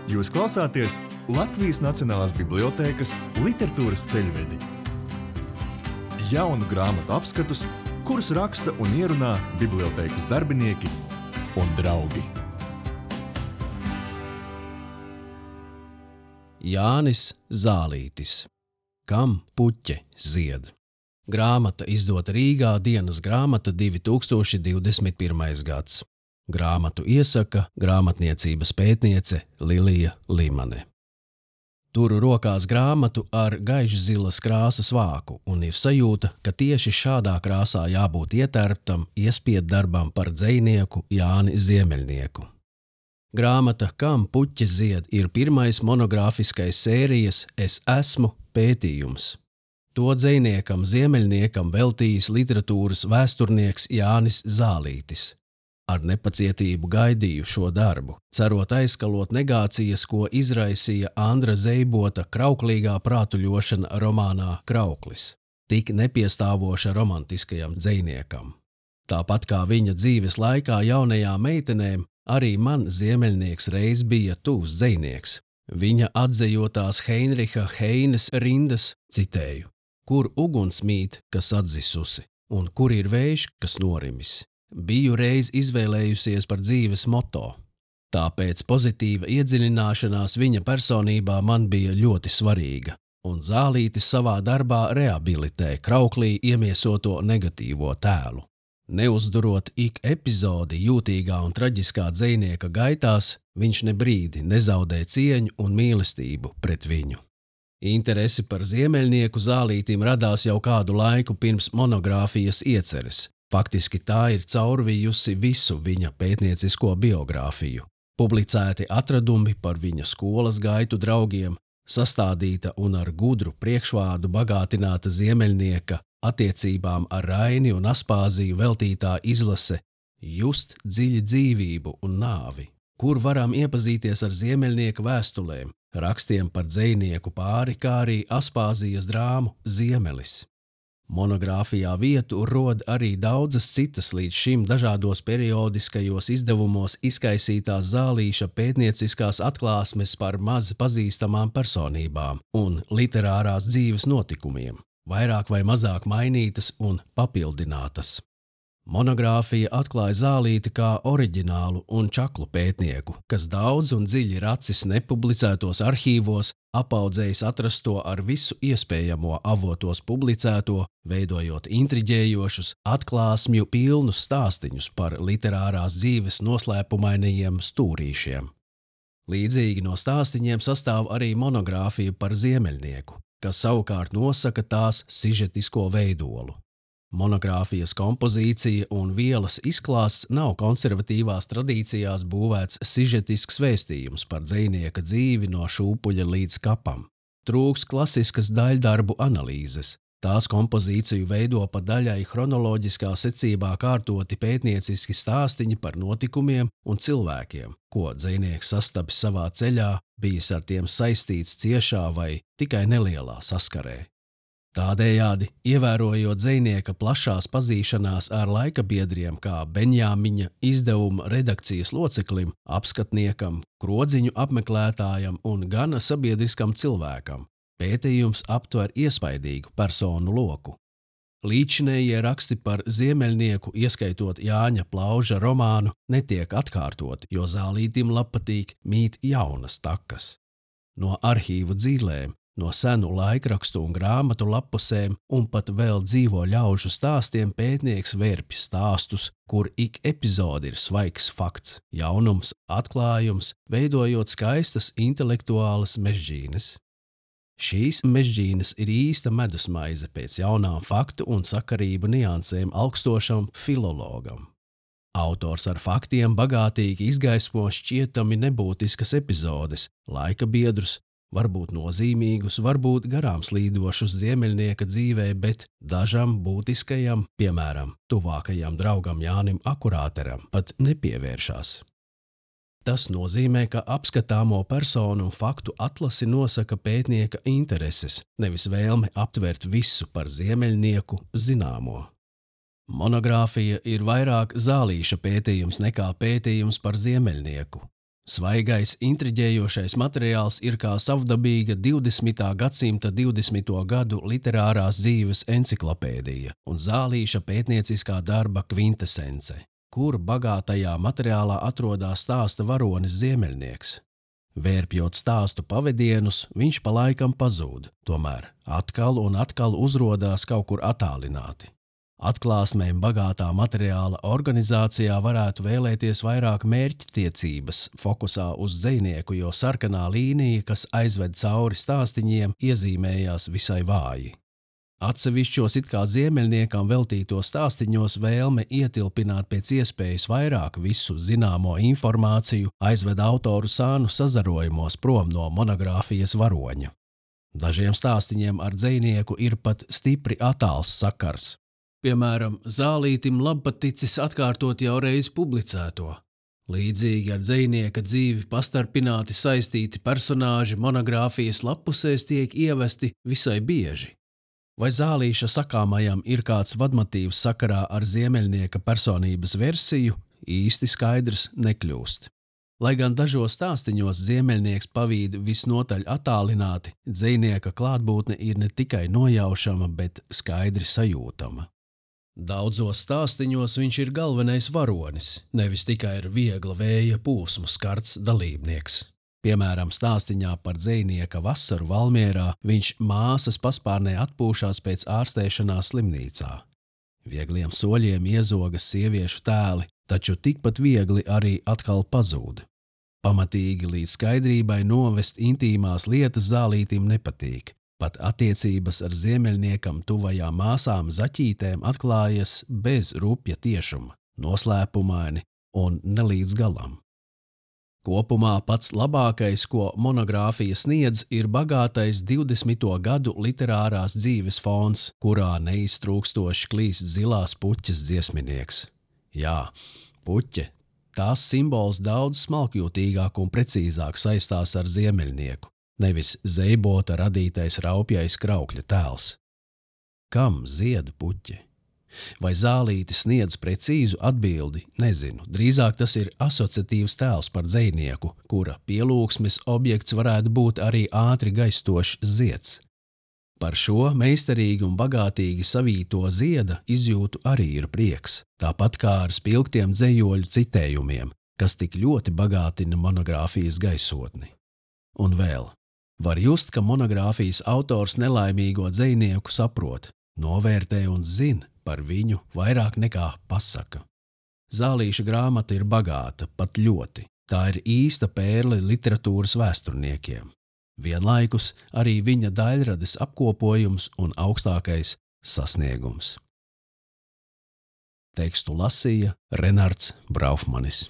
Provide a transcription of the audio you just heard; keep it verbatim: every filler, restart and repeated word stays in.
Jūs klausāties Latvijas Nacionālās bibliotēkas literatūras ceļvedi. Jaunu grāmatu apskatus, kurus raksta un ierunā bibliotēkas darbinieki un draugi. Jānis Zālītis. Kam puķe zied? Grāmata izdota Rīgā, dienas grāmata divi tūkstoši divdesmit pirmais gads. Grāmatu iesaka grāmatniecības pētniece Lilija Limane. Turu rokās grāmatu ar gaišzilas krāsas vāku un ir sajūta, ka tieši šādā krāsā jābūt ietērptam iespied-darbam par dzejnieku Jāni Ziemeļnieku. Grāmata Kam puķe zied ir pirmais monogrāfiskais sērijas Es esmu pētījums. To dzejniekam Ziemeļniekam veltījis literatūras vēsturnieks Jānis Zālītis. Ar nepacietību gaidīju šo darbu, cerot aizkalot negācijas, ko izraisīja Andra Zeibota krauklīgā prātuļošana romānā Krauklis, tik nepiestāvoša romantiskajam dzejniekam. Tāpat kā viņa dzīves laikā jaunajām meitenēm, arī man Ziemeļnieks reiz bija tuvs dzejnieks. Viņa atzejotās Heinriha Heines rindas, citēju, kur uguns mīt, kas atzisusi, un kur ir vējš, kas norimis. Biju reiz izvēlējusies par dzīves moto. Tāpēc pozitīva iedziļināšanās viņa personībā man bija ļoti svarīga, un Zālītis savā darbā rehabilitē krauklī iemiesoto negatīvo tēlu. Neuzdurot ik epizodi jūtīgā un traģiskā dzejnieka gaitās, viņš ne brīdi nezaudē cieņu un mīlestību pret viņu. Interesi par Ziemeļnieku Zālītim radās jau kādu laiku pirms monogrāfijas ieceres. Faktiski tā ir caurvijusi visu viņa pētniecisko biogrāfiju. Publicēti atradumi par viņa skolas gaitu draugiem, sastādīta un ar gudru priekšvārdu bagātināta Ziemeļnieka attiecībām ar Raini un Aspāziju veltītā izlase Just dziļi dzīvību un nāvi, kur varam iepazīties ar Ziemeļnieka vēstulēm, rakstiem par dzejnieku pāri, kā arī Aspāzijas drāmu Ziemelis. Monogrāfijā vietu rod arī daudzas citas līdz šim dažādos periodiskajos izdevumos izkaisītās Zālīša pētnieciskās atklāsmes par maz pazīstamām personībām un literārās dzīves notikumiem, vairāk vai mazāk mainītas un papildinātas. Monogrāfija atklāja Zālīti kā oriģinālu un čaklu pētnieku, kas daudz un dziļi racis nepublicētos arhīvos, apaudzējis atrasto ar visu iespējamo avotos publicēto, veidojot intriģējošus, atklāsmju pilnus stāstiņus par literārās dzīves noslēpumainajiem stūrīšiem. Līdzīgi no stāstiņiem sastāv arī monogrāfija par Ziemeļnieku, kas savukārt nosaka tās sižetisko veidolu. Monogrāfijas kompozīcija un vielas izklāsts nav konservatīvās tradīcijās būvēts sižetisks vēstījums par dzejnieka dzīvi no šūpuļa līdz kapam. Trūks klasiskas daļdarbu analīzes. Tās kompozīciju veido pa daļai chronoloģiskā secībā kārtoti pētnieciski stāstiņi par notikumiem un cilvēkiem, ko dzejnieks sastapis savā ceļā, bijis ar tiem saistīts ciešā vai tikai nelielā saskarē. Tādējādi, ievērojot dzejnieka plašās pazīšanās ar laikabiedriem kā Benjāmiņa izdevuma redakcijas loceklim, apskatniekam, krodziņu apmeklētājam un gana sabiedriskam cilvēkam, pētījums aptver iespaidīgu personu loku. Līdzinējie raksti par Ziemeļnieku, ieskaitot Jāņa Plauža romānu, netiek atkārtoti, jo Zālītim labpatīk mīt jaunas takas. No arhīvu dzīlēm, no senu laikrakstu un grāmatu lapusēm un pat vēl dzīvo ļaužu stāstiem pētnieks vērpj stāstus, kur ik epizode ir svaigs fakts, jaunums, atklājums, veidojot skaistas intelektuālas mežģīnes. Šīs mežģīnes ir īsta medusmaize pēc jaunām faktu un sakarību niansēm augstošam filologam. Autors ar faktiem bagātīgi izgaismo šķietami nebūtiskas epizodes, laika biedrus, varbūt nozīmīgus, varbūt garām slīdošus Ziemeļnieka dzīvē, bet dažam būtiskajam, piemēram, tuvākajam draugam Jānim Akurāteram, pat nepievēršās. Tas nozīmē, ka apskatāmo personu un faktu atlasi nosaka pētnieka intereses, nevis vēlme aptvert visu par Ziemeļnieku zināmo. Monogrāfija ir vairāk Zālīša pētījums nekā pētījums par Ziemeļnieku. Svaigais, intriģējošais materiāls ir kā savdabīga divdesmitā gadsimta divdesmito gadu literārās dzīves enciklopēdija un Zālīša pētnieciskā darba kvintesence, kur bagātajā materiālā atrodas stāsta varonis Ziemeļnieks. Vērpjot stāstu pavedienus, viņš pa laikam pazūd, tomēr atkal un atkal uzrodās kaut kur attālināti. Atklāsmēm bagātā materiāla organizācijā varētu vēlēties vairāk mērķtiecības fokusā uz dzejnieku, jo sarkanā līnija, kas aizved cauri stāstiņiem, iezīmējās visai vāji. Atsevišķos it kā Ziemeļniekam veltītos stāstiņos vēlme ietilpināt pēc iespējas vairāk visu zināmo informāciju aizved autoru sānu sazarojumos prom no monogrāfijas varoņa. Dažiem stāstiņiem ar dzejnieku ir pat stipri attāls sakars. Piemēram, Zālītim labpaticis atkārtot jau reiz publicēto. Līdzīgi ar dzejnieka dzīvi pastarpināti saistīti personāži monogrāfijas lappusēs tiek ievesti visai bieži. Vai Zālīša sakāmajam ir kāds vadmotīvs sakarā ar Ziemeļnieka personības versiju, īsti skaidrs nekļūst. Lai gan dažos stāstiņos Ziemeļnieks pavīd visnotaļ attālināti, dzejnieka klātbūtne ir ne tikai nojaušama, bet skaidri sajūtama. Daudzos stāstiņos viņš ir galvenais varonis, nevis tikai ir viegla vēja pūsmu skarts dalībnieks. Piemēram, stāstiņā par dzejnieka vasaru Valmierā viņš māsas paspārnē atpūšās pēc ārstēšanās slimnīcā. Viegliem soļiem iezogas sieviešu tēli, taču tikpat viegli arī atkal pazūd. Pamatīgi līdz skaidrībai novest intīmās lietas Zālītim nepatīk. Pat attiecības ar Ziemeļniekam tuvajām māsām Zaķītēm atklājas bez rupja tiešuma, noslēpumaini un ne līdz galam. Kopumā pats labākais, ko monogrāfija sniedz, ir bagātais divdesmito gadu literārās dzīves fons, kurā neiztrūkstoši klīst zilās puķes dziesminieks. Jā, puķe, tās simbols daudz smalkjūtīgāk un precīzāk saistās ar Ziemeļnieku, nevis zeibota radītais raupjais kraukļa tēls. Kam zied puķe? Vai Zālītis sniedz precīzu atbildi? Nezinu, drīzāk tas ir asociatīvs tēls par dzejnieku, kura pielūgsmes objekts varētu būt arī ātri gaistošs zieds. Par šo meistarīgi un bagātīgi savīto zieda izjūtu arī ir prieks, tāpat kā ar spilgtiem dzejoļu citējumiem, kas tik ļoti bagātina monogrāfijas gaisotni. Un vēl. Var just, ka monogrāfijas autors nelaimīgo dzejnieku saprot, novērtē un zina par viņu vairāk nekā pasaka. Zālīša grāmata ir bagāta, pat ļoti. Tā ir īsta pērle literatūras vēsturniekiem. Vienlaikus arī viņa daļrades apkopojums un augstākais sasniegums. Tekstu lasīja Renards Braufmanis.